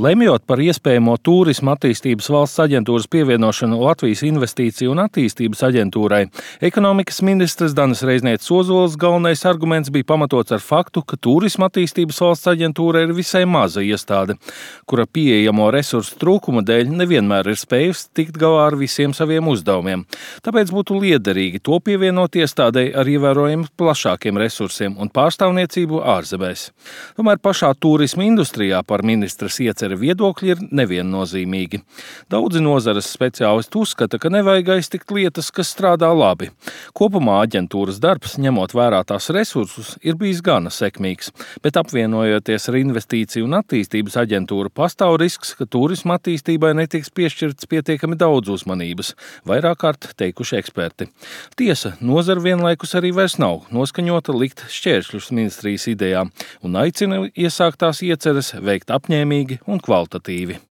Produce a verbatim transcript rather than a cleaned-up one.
Lemjot par iespējamo Tūrisma attīstības valsts aģentūras pievienošanu Latvijas Investīciju un attīstības aģentūrai, ekonomikas ministrs Danis Reiznieks Ozols galvenais arguments bija pamatots ar faktu, ka Tūrisma attīstības valsts aģentūra ir visai maza iestāde, kura pieejamo resursu trūkuma dēļ nevienmēr ir spējusi tikt galā ar visiem saviem uzdevumiem. Tāpēc būtu liederīgi to pievienot iestādei ar ievērojami plašākiem resursiem un pārstāvniecību ārzemēs. Tomēr pašā turisma industrijā par ministras ieceri viedokļi ir neviennozīmīgi. Daudzi nozares speciālisti uzskata, ka nevajag aiztikt lietas, kas strādā labi. Kopumā aģentūras darbs, ņemot vērā tās resursus, ir bijis gana sekmīgs, bet apvienojoties ar Investīciju un attīstības aģentūru, pastāv risks, ka turisma attīstībai netiks piešķirts pietiekami daudz uzmanības, vairāk kārt teikuši eksperti. Tiesa, nozara vienlaikus arī vairs nav noskaņota likt šķēršļus ministrijas idejām un aicina iesāktās ieceres veikt apņēmīgi un kvalitatīvi.